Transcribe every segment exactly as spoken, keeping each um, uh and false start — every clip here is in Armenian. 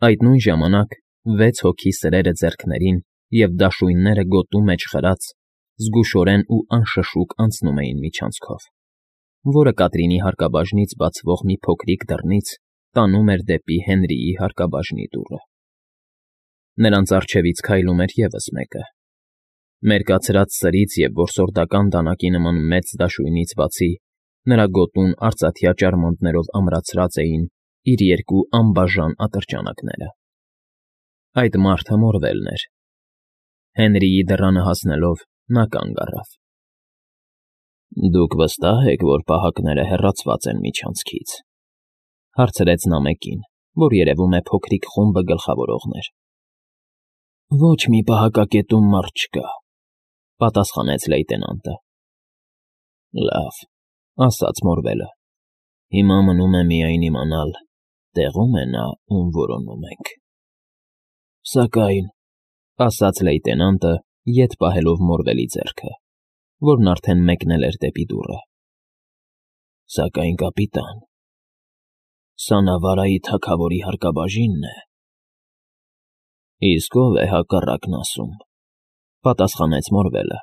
Այդ նույն ժամանակ վեց հոգի սրերը ձեռքներին և դաշույնները գոտու մեջ խրած զգուշորեն ու անշշուկ անցնում էին միջանցքով, որը Կատրինի հարկաբաժնից բացվող մի փոքրիկ դռնից տանում էր դեպի Հենրիի հարկաբաժնի դուռը։ Նրանց առջևից քայլում էր ևս մեկը։ Մերկացրած սրից և որսորդական դանակի նման մեծ դաշույնից բացի նրա գոտուն արծաթյա ճարմանտներով ամրացրած էին իր երկու անբաժան ատրճանակները։ Այդ մարդը Մորվելն էր։ Հենրիի դռանը հասնելով նա կանգ առավ։ ֊ Դուք վստահ եք, որ պահակները հեռացված են միջանցքից,֊ հարցրեց նա մեկին, որ երևում է փոքրիկ խումբը գլխավորողն էր։ ֊ Ոչ մի պահակակետում մարդ չկա,֊ պատասխանեց լեյտենանտը։ ֊ Լավ,֊ ասաց Մորվելը,֊ հիմա մնում է միայն իմանալ, տեղո՞ւմ է նա, ում որոնում ենք։ ֊ Սակայն,֊ ասաց լեյտենանտը, ետ պահելով Մորվելի ձեռքը, որն արդեն մեկնել էր դեպի դուռը,֊ սակայն, կապիտան, սա Նավարայի թագավորի հարկաբաժինն է։ ֊ Իսկ ո՞վ է հակառակն ասում,֊ պատասխանեց Մորվելը։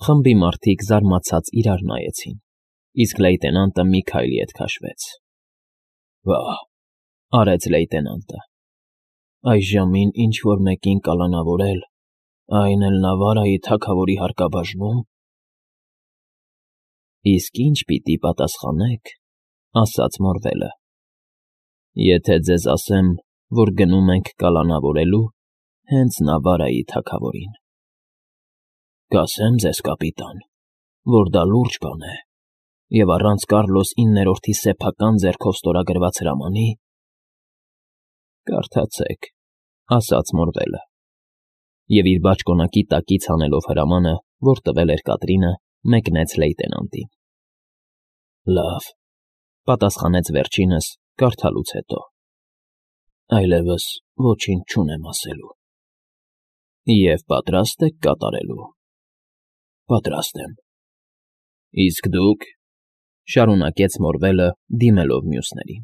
Խմբի մարդիկ զարմացած իրար նայեցին, իսկ լեյտենանտը մի քայլ ետ քաշվեց։ ֊ Վա՜հ,֊ արեց լեյտենանտը,֊ այս ժամին ինչ֊որ մեկին կալանավորել, այն էլ Նավարայի թագավորի հարկաբաժնում… ֊ Իսկ ի՞նչ պիտի պատասխանեք,֊ ասաց Մորվելը,֊ եթե ձեզ ասեմ, որ գնում ենք կալանավորելու հենց Նավարայի թագավորին։ ֊ Կասեմ ձեզ, կապիտան, որ դա լուրջ բան է, և առանց Կառլոս իններորդի սեփական ձեռքով ստորագրված հրամանի… ֊ Կարդացեք,֊ ասաց Մորվելը, և իր բաճկոնակի տակից հանելով հրամանը, որ տվել էր Կատրինը, մեկնեց լեյտենանտին։ ֊ Լավ,֊ պատասխանեց վերջինս, կարդալուց հետո,֊ այլևս ոչինչ չունեմ ասելու։ ֊ Եվ պատրա՞ստ եք կատարելու։ ֊ Պատրաստ եմ։ ֊ Իսկ դուք,֊ շարունակեց Մորվելը, դիմելով մյուսներին։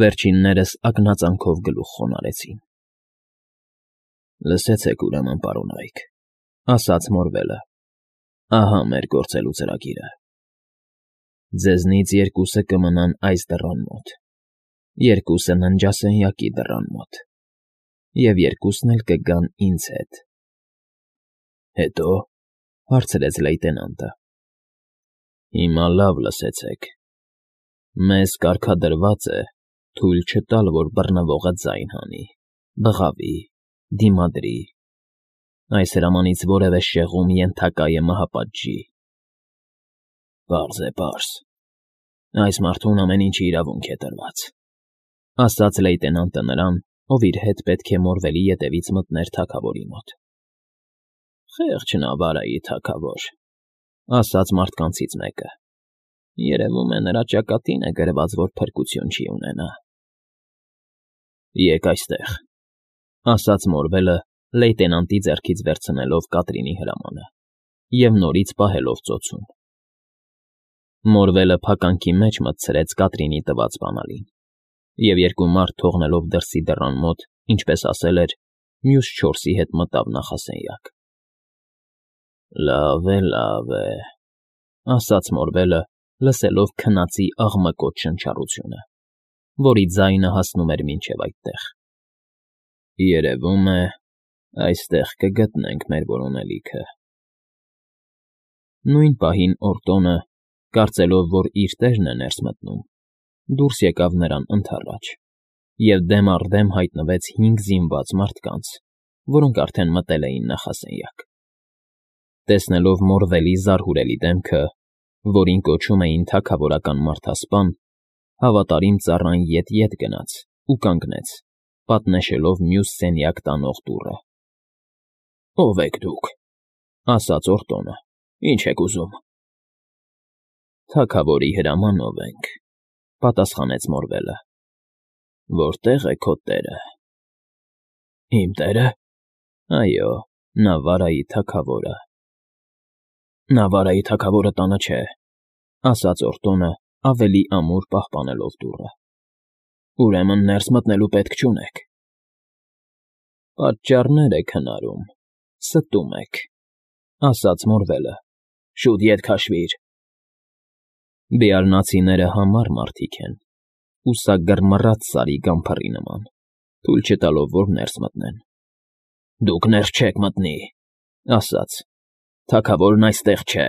Վերջիններս ակնածանով գլուխ խոնարհեցին։ ֊ Լսեցեք, ուրեմն, պարոնայք,֊ ասաց Մորվելը,֊ ահա մեր գործելու ծրագիրը. ձեզնից երկուսը կմնան այս դռան մոտ, երկուսը ննջասենյակի դռան մոտ, և երկուսն էլ կգան ինձ հետ։ ֊ Հետո,֊ հարցրեց լեյտենանտը։ ֊ Հիմա լավ լսեցեք. մեզ կարգադրված է թույլ չտալ, որ բռնվողը ձայն հանի, բղավի, դիմադրի, այս հրամանից որևէ շեղում ենթակա է մահապատժի։ ֊ Պարզ է, պարզ… Այս մարդուն ամեն ինչի իրավունք է տրված,֊ ասաց լեյտենանտը նրան, ով իր հետ պետք է Մորվելի ետևից մտներ թագավորի մոտ։ ֊ Խեղճ Նավարայի թագավոր,֊ ասաց մարդկանցից մեկը,֊ երևում է նրա ճակատին է գրված, որ փրկություն չի ունենա։ ֊ Եկ այստեղ,֊ ասաց Մորվելը, լեյտենանտի ձեռքից վերցնելով Կատրինի հրամանը և նորից պահելով ծոցում։ Մորվելը փականքի մեջ մտցրեց Կատրինի տված բանալին և երկու մարդ թողնելով դրսի դռան մոտ, ինչպես ասել էր, մյուս չորսի հետ մտավ նախասենյակ։ ֊ Լավ է, լավ է,֊ ասաց Մորվելը, լսելով քնածի աղմկոտ շնչառությունը, որի ձայնը հասնում էր մինչև այդտեղ։ ֊ Երևում է, այստեղ կգտնենք մեր որոնելիքը։ Նույն պահին Օրտոնը, կարծելով, որ իր տերն է ներս մտնում, դուրս եկավ նրան ընդառաջ և դեմ առ դեմ հայտնվեց հինգ զինված մարդկանց, որոնք արդեն մտել էին նախասենյակ։ Տեսնելով Մորվելի զարհուրելի դեմքը, որին կոչում էին թագավորական մարդասպան, հավատարիմ ծառան ետ֊ետ գնաց ու կանգնեց, պատնեշելով մյուս սենյակ տանող դուռը։ ֊ Ո՞վ եք դուք,֊ ասաց Օրտոնը,֊ ինչ եք ուզում։ ֊ Թագավորի հրամանով ենք,֊ պատասխանեց Մորվելը։ ֊ Որտե՞ղ է քո տերը։ ֊ Իմ տերը։ ֊ Այո, Նավարայի թագավորը։ ֊ Նավարայի թագավորը տանը չէ,֊ ասաց Օրտոնը, ավելի ամուր պահպանելով դուռը։ Ուրեմն ներս մտնելու պետք չունեք։ Պատճառներ եք հնարում, ստում եք, ասաց Մորվելը, շուտ ետ քաշվիր։ Բիառնացիները համառ մարդիկ են, ուսագռմռած սարի գամփռի նման, թույլ չտալով, որ ներս մտնեն։ Դուք ներս չեք մտնի, ասաց, թագավորն այստեղ չէ,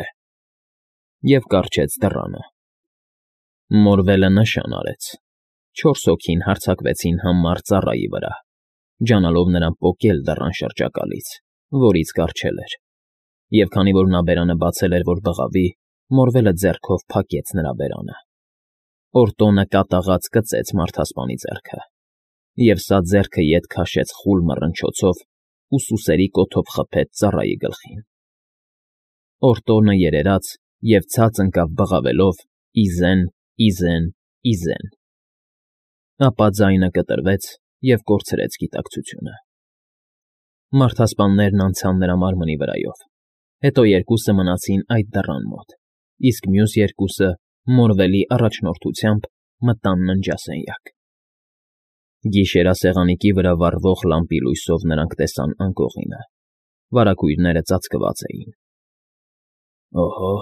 և կառչեց դռանը։ Մորվելը նշան արեց, չորս հոգին հարձակվեցին համառ ծառայի վրա, ջանալով նրան պոկել դռան շրջակալից, որից կառչել էր, և քանի որ նա բերանը բացել էր, որ բղավի, Մորվելը ձեռքով փակեց նրա բերանը։ Օրտոնը կատաղած կծեց մարդասպանի ձեռքը, և սա ձեռքը ետ քաշեց խուլ մռնչոցով ու սուսերի կոթով խփեց ծառայի գլխին։ Օրտոնը երերաց և ցած ընկավ բղավելով «Իզեն, Իզեն, Իզեն»։ Ապա ձայնը կտրվեց և կորցրեց գիտակցությունը։ Մարդասպաններն անցան նրա մարմնի վրայով, հետո երկուսը մնացին այդ դռան մոտ, իսկ մյուս երկուսը, Մորվելի առաջնորդությամբ, մտան ննջասենյակ։ Գիշերասեղանիկի վրա վառվող լամպի լույսով նրանք տեսան անկողինը, վարագույրները ծածկված էին։ Օհո,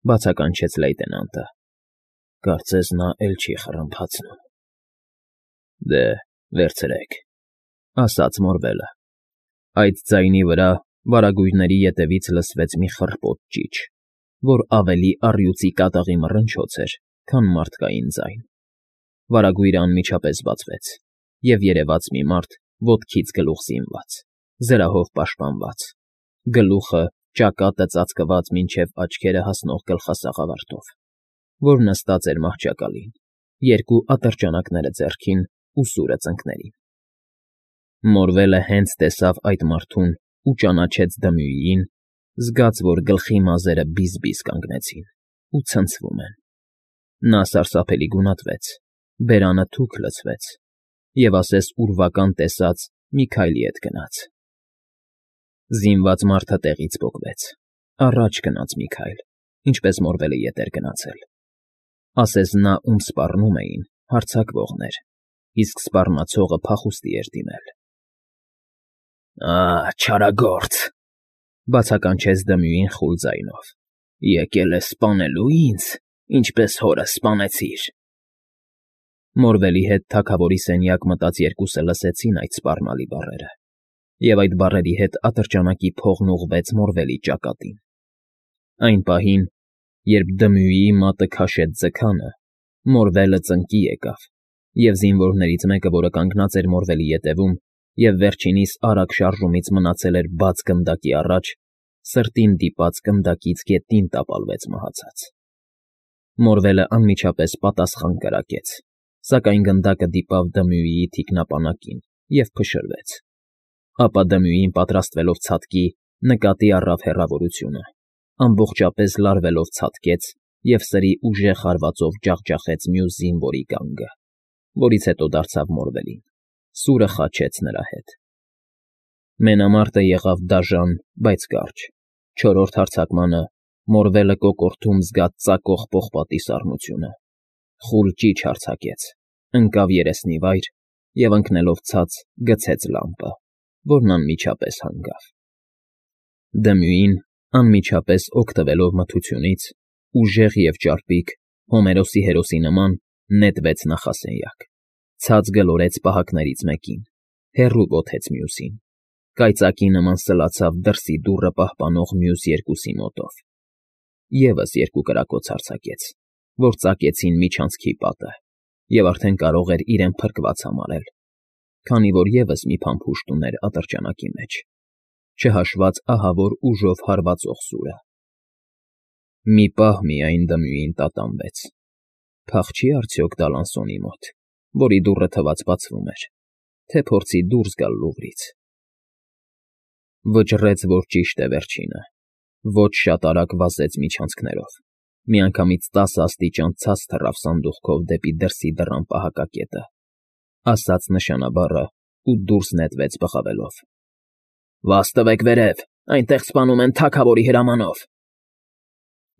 բացականչեց լեյտենանտը, կարծես նա էլ չի խռմփացնում։ Դե, վերցրեք, ասաց Մորվելը։ Այդ ձայնի վրա վարագույրների ետևից լսվեց մի խռպոտ ճիչ, որ ավելի առյուծի կատաղի մռնչոց էր, քան մարդկային ձայն։ Վարագույրը անմիջապես բացվեց, և երևաց մի մարդ ոտքից գլուխ զինված, զրահով պաշտպանված, գլուխը, ճակատը ծածկված մինչև աչքերը հասնող գլխասաղավարտով, որ նստած էր մահճակալին, երկու ատրճանակները ձեռքին ու սուրը ծնկներին։ Մորվելը հենց տեսավ այդ մարդուն ու ճանաչեց Դմյուիին, զգաց, որ գլխի մազերը բիզ֊բիզ կանգնեցին ու ցնցվում են։ Նա սարսափելի գունատվեց, բերանը թուք լցվեց, և ասես ուրվական տեսած մի քայլի հետ գնաց։ Զինված մարդը տեղից պոկվեց, առաջ գնաց մի քայլ, ինչպես Մորվելը ետ էր գնացել։ Ասես նա, ում սպառնում էին, հարձակվողն էր, իսկ սպառնացողը փախուստի էր դիմել։ Ա՜, չարագործ,֊ բացականչեց Դմյուին խուլ ձայնով,֊ եկել ես սպանելու ինձ, ինչպես հորս սպանեցիր։ Մորվելի հետ թագավորի սենյակ մտած երկուսը լսեցին այդ սպառնալի բառերը, և այդ բառերի հետ ատրճանակի փողն ուղղվեց Մորվելի ճակատին։ Այն պահին, երբ Դմյուիի մատը քաշեց ձգանը, Մորվելը ծնկի եկավ, և զինվորներից մեկը, որը կանգնած էր Մորվելի ետևում և վերջինիս արագ շարժումից մնացել էր բաց գնդակի առաջ, սրտին դիպած գնդակից գետնին տապալվեց մահացած։ Մորվելը անմիջապես պատասխան կրակեց, սակայն գնդակը դիպավ Դմյուիի թիկնապանակին և փշրվեց։ Ապա Դմյուին, պատրաստվելով ցատկի, նկատի առավ հեռավորությունը, ամբողջապես լարվելով ցատկեց և սրի ուժեղ հարվածով ջախջախեց մյուս զինվորի գանգը, որից հետո դարձավ Մորվելին, սուրը խաչեց նրա հետ։ Մենամարտը եղավ դաժան, բայց կարճ։ Չորրորդ հարձակմանը Մորվելը կոկորդում զգաց ծակող պողպատի սառնությունը, խուլ ճիչ հարձակեց, ընկավ երեսնի վայր և ընկնելով ցած գցեց լամպը, որն անմիջապես հանգավ։ Դմյուին, անմիջապես օգտվելով մթությունից, ուժեղ և ճարպիկ, Հոմերոսի հերոսի նման, նետվեց նախասենյակ, ցած գլորեց պահակներից մեկին, հեռու ոտեց մյուսին, կայծակի նման սլացավ դրսի դուռը պահպանող մյուս երկուսի մոտով, ևս երկու կրակոց արձակեց, որ ծակեցին միջանցքի պատը, և արդեն կարող էր իրեն փրկված համարել, քանի որ ևս մի փամփուշտ ուներ ատրճանակի մեջ, չհաշված ահավոր ուժով հարվածող սուրը։ Մի պահ միայն Դմյուին տատանվեց. փախչի՞ արդյոք Դալանսոնի մոտ, որի դուռը թված բացվում էր, թե փորձի դուրս գալ լուղրից։ Վճռեց, որ ճիշտ է վերջինը, ոչ շատ արագ վազեց միջանցքներով, միանգամից տասը աստիճան ցած թռավ սանդուղքով դեպի դրսի դռան պահակակետը, ասաց նշանաբառը ու դուրս նետվեց բղավելով. «Վազ տվեք վերև, այնտեղ սպանում են թագավորի հրամանով»։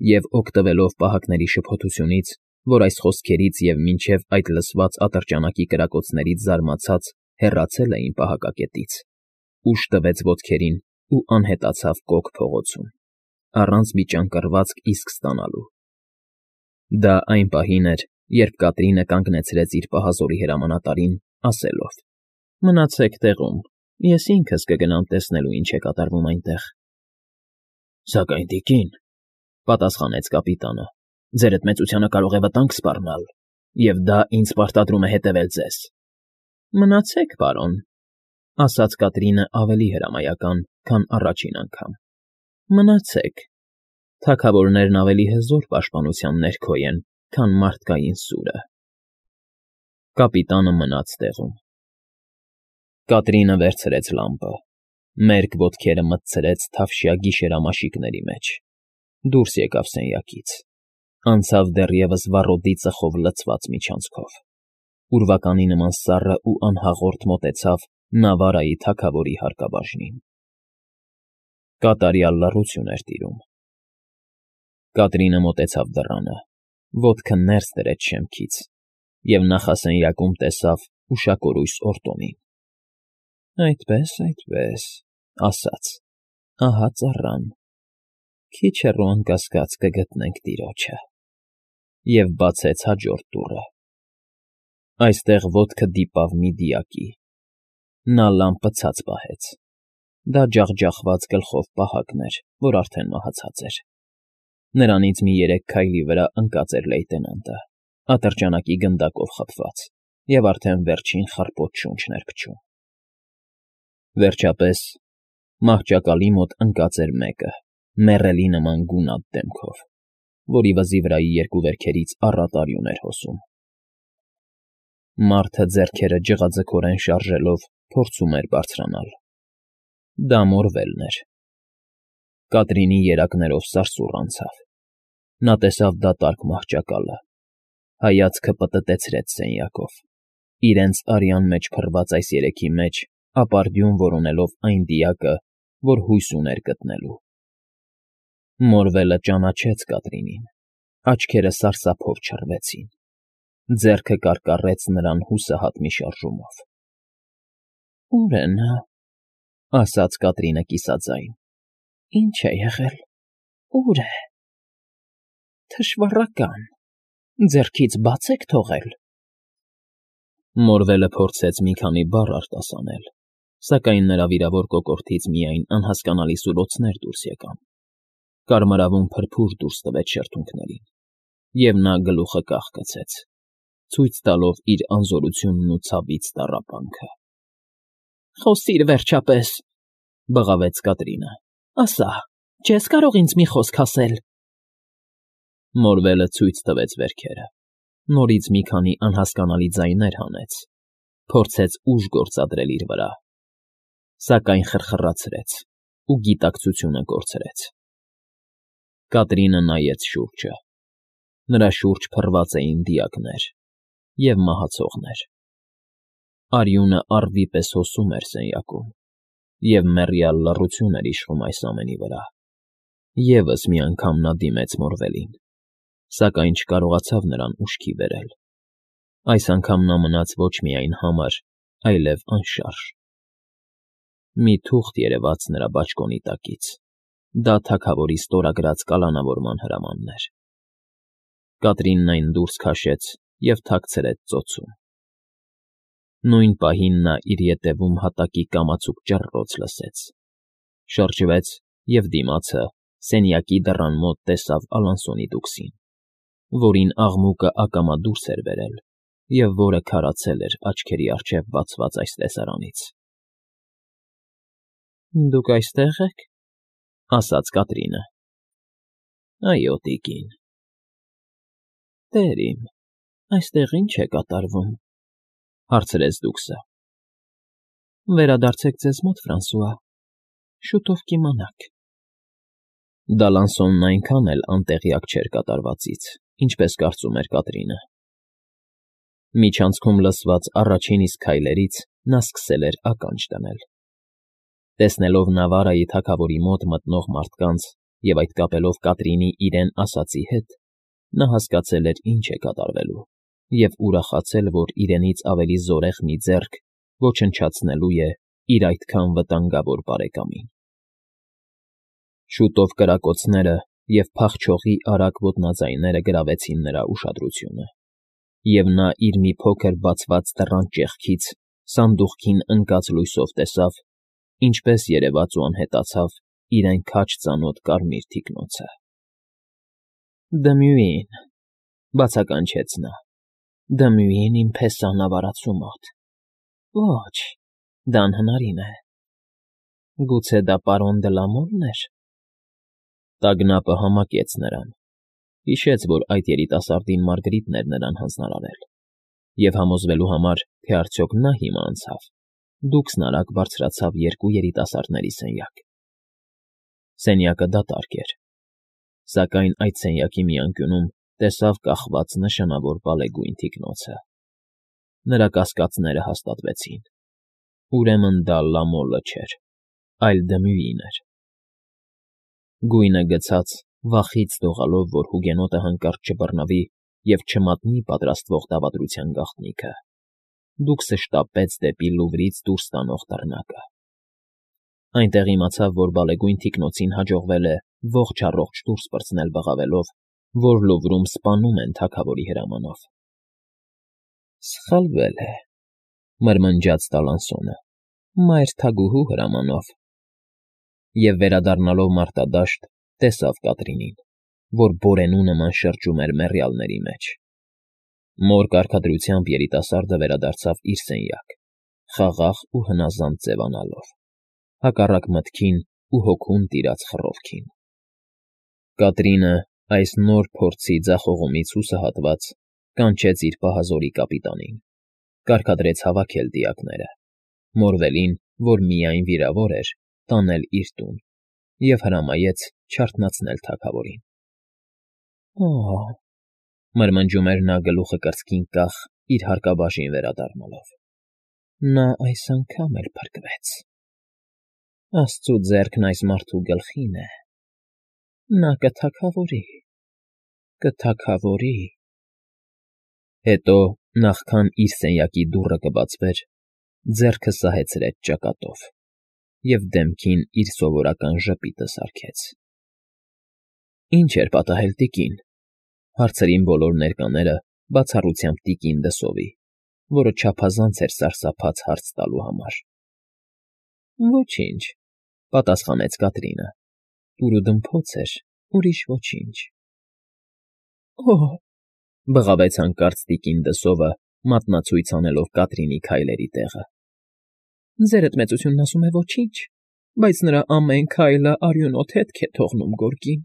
Եվ օգտվելով պահակների շփոթությունից, որ այս խոսքերից և մինչև այդ լսված ատրճանակի կրակոցներից զարմացած հեռացել էին պահակակետից, ուժ տվեց ոտքերին ու անհետացավ կոկ փողոցում, առանց միջանկռվածք իսկ ստանալու։ Դա այն պահին էր, երբ Կատրինը կանգնեցրեց իր պահազորի հրամանատարին, ասելով. «Մնացեք տեղում, ես ինքս կգնամ տեսնելու ինչ է կատարվում այնտեղ»։ «Սակայն, տիկին,֊ պատասխանեց կապիտանը,֊ ձերդ մեծությանը կարող է վտանգ սպառնալ, և դա ինձ պարտադրում է հետևել ձեզ»։ «Մնացեք, պարոն,֊ ասաց Կատրինը ավելի հրամայական, քան առաջին անգամ,֊ մնացեք. թագավորներն ավելի հզոր պաշտպանության ներքո են, քան մարդկային սուրը»։ Կապիտանը մնաց տեղում։ Կատրինը վերցրեց լամպը, մերկ ոտքերը մտցրեց թավշյա գիշերամաշիկների մեջ, դուրս եկավ սենյակից, անցավ դեռևս վառոդի ծխով լցված միջանցքով, ուրվականի նման սառը ու անհաղորդ մոտեցավ Նավարայի թագավորի հարկաբաժնին։ Կատարյալ լռություն էր տիրում։ Կատրինը մոտեցավ դռանը, ոտքը ներս դրեց շեմքից և նախասենյակում տեսավ ուշակորույս Օրտոնին։ «Այդպես, այդպես,֊ ասաց,֊ ահա ծառան, քիչ հեռու անկասկած կգտնենք տիրոջը», և բացեց հաջորդ դուռը։ Այստեղ ոտքը դիպավ մի դիակի։ Նա լամպը ցած պահեց։ Դա ջախջախված գլխով պահակն էր, որ արդեն մահացած էր։ Նրանից մի երեք քայլի վրա ընկած էր լեյտենանտը, ատրճանակի գնդակով խփված, և արդեն վերջին խռպոտ շունչն էր փչում։ Վերջապես, մահճակալի մոտ ընկած էր մեկը, մեռելի նման գունատ դեմքով, որի վզի վրայի երկու վերքերից առատ արյուն էր հոսում։ Մարդը ձեռքերը ջղաձգորեն շարժելով փորձում էր բարձրանալ։ Դա Մորվելն էր։ Կատրինի երակներով սարսուռ անցավ։ Նա տեսավ դատարկ մահճակալը, հայացքը պտտեցրեց սենյակով, իրենց արյան մեջ փռված այս երեքի մեջ ապարդյուն որոնելով այն դիակը, որ հույս ուներ գտնելու։ Մորվելը ճանաչեց Կատրինին, աչքերը սարսափով չռվեցին, ձեռքը կարկառեց նրան հուսահատ մի շարժումով։ «Ո՞ւր է նա,֊ ասաց Կատրինը կիսաձայն,֊ ի՞նչ է եղել, ո՞ւր է… Թշվառական, ձեռքից բա՞ց եք թողել»։ Մորվելը փորձեց մի քանի բառ արտասանել, սակայն նրա վիրավոր կոկորդից միայն անհասկանալի սուլոցներ դուրս եկան, կարմրավուն փրփուր դուրս տվեց շրթունքներին, և նա գլուխը կախկցեց, ցույց տալով իր անզորությունն ու ցավից տառապանքը։ «Խոսի՛ր, վերջապես,֊ բղավեց Կատրինը,֊ ասա, չե՞ս կարող ինձ մի խոսք ասել»։ Մորվելը ցույց տվեց վերքերը, նորից մի քանի անհասկանալի ձայներ հանեց, փորձեց ուժ գործադրել իր վրա, սակայն խրխռացրեց ու գիտակցությունը կորցրեց։ Կատրինը նայեց շուրջը։ Նրա շուրջ փռված էին դիակներ և մահացողներ։ Արյունը առվի պես հոսում էր սենյակում, և մեռյալ լռություն էր իշխում այս ամենի վրա։ Եվս մի անգամ նա դիմեց Մորվելին, սակայն չկարողացավ նրան ուշքի բերել։ Այս անգամ նա մնաց ոչ միայն համր, այլև անշարժ։ Մի թուղթ երևաց նրա բաճկոնի տակից։ Դա թագավորի ստորագրած կալանավորման հրամանն էր։ Կատրինն այն դուրս քաշեց և թաքցրեց ծոցում։ Նույն պահին նա իր ետևում հատակի կամացուկ ճռռոց լսեց, շրջվեց և դիմացը, սենյակի դռան մոտ տեսավ Ալանսոնի դուքսին, որին աղմուկը ակամա դուրս էր բերել և որը քարացել էր աչքերի առջև բացված այս տեսարանից։ ֊ Դուք այստե՞ղ եք,֊ ասաց Կատրինը։ ֊ Այո, տիկին։ ֊ Տեր իմ, այստեղ ի՞նչ է կատարվում,֊ հարցրեց դուքսը։ ֊ Վերադարձեք ձեզ մոտ, Ֆրանսուଆ, շուտով կիմանաք։ Դալանսոնն այնքան էլ անտեղյակ չէր կատարվածից, ինչպես կարծում էր Կատրինը։ Միջանցքում լսված առաջին իսկ քայլերից նա սկսել էր ականջ դնել։ Տեսնելով Նավարայի թագավորի մոտ մտնող մարդկանց և այդ կապելով Կատրինի իրեն ասածի հետ, նա հասկացել էր ինչ է կատարվելու և ուրախացել, որ իրենից ավելի զորեղ մի ձեռք ոչնչացնելու է իր այդքան վտանգավոր բարեկամին։ Շուտով կրակոցները և փախչողի արագ ոտնաձայները գրավեցին նրա ուշադրությունը, և նա իր մի փոքր բացված դռան ճեղքից սանդուղքին ընկած լույսով տեսավ, ինչպես երևաց ու անհետացավ իրեն քաջ ծանոթ կարմիր թիկնոցը։ ֊ Դմույին,֊ բացականչեց նա,֊ Դմույին իմ փեսան ավարածու մոտ… Ոչ, դա անհնարին է… Գուցե դա պարոն Դլամոռն էր… Տագնապը համակեց նրան, հիշեց, որ այդ երիտասարդին Մարգրիտն էր նրան հանձնարարել, և համոզվելու համար, թե արդյոք նա հիմա անցավ, դուքսն արագ բարձրացավ երկու երիտասարդների սենյակ։ Սենյակը դատարկ էր, սակայն այդ սենյակի մի անկյունում տեսավ կախված նշանավոր բալեգույն թիկնոցը։ Նրա կասկածները հաստատվեցին. ուրեմն դա Լամոլը չէր, այլ Դմյուին էր։ Գույնը գցած, վախից դողալով, որ հուգենոտը հանկարծ չբռնվի և չմատնի պատրաստվող դավադրության գաղտնիքը, դուքսը շտապեց դեպի Լուվրից դուրս տանող դռնակը։ Այնտեղ իմացավ, որ բալեգույն թիկնոցին հաջողվել է ողջ֊առողջ դուրս պրծնել բղավելով, որ Լուվրում սպանում են թագավորի հրամանով։ Սխալվել է,֊ մրմնջաց Տալանսոնը,֊ մայր թագուհու հրամանով… Եվ վերադառնալով մարտադաշտ, տեսավ Կատրինին, որ բորենու նման շրջում էր մեռյալների մեջ։ Մոր կարգադրությամբ երիտասարդը վերադարձավ իր սենյակ, խաղաղ ու հնազանդ ձևանալով, հակառակ մտքին ու հոգուն տիրած խռովքին։ Կատրինը, այս նոր փորձի ձախողումից հուսահատված, կանչեց իր պահազորի կապիտանին, կարգադրեց հավաքել դիակները, Մորվելին, որ միայն վիրավոր էր, տանել իր տուն և հրամայեց չարթնացնել թագավորին։ Օ՜, մրմնջում էր նա գլուխը կրծքին կախ իր հարկաբաժին վերադառնալով, նա այս անգամ էլ փրկվեց… Աստծու ձեռքն այս մարդու գլխին է… Նա կթագավորի… կթագավորի… Հետո, նախքան իր սենյակի դուռը կբացվեր, ձեռքը սահեցրեց ճակատով և դեմքին իր սովորական ժպիտը սարքեց։ ֊ Ի՞նչ էր պատահել, տիկին,֊ հարցրին բոլոր ներկաները, բացառությամբ տիկին Դսովի, որը չափազանց էր սարսափած հարց տալու համար։ ֊ Ոչինչ,֊ պատասխանեց Կատրինը,֊ տուրուդմփոց էր, ուրիշ ոչինչ… Օ՜, բղավեց հանկարծ տիկին Դսովը, մատնացույց անելով Կատրինի քայլերի տեղը,֊ ձերդ մեծությունն ասում է ոչինչ, բայց նրա ամեն քայլը արյունոտ հետք է թողնում գորգին…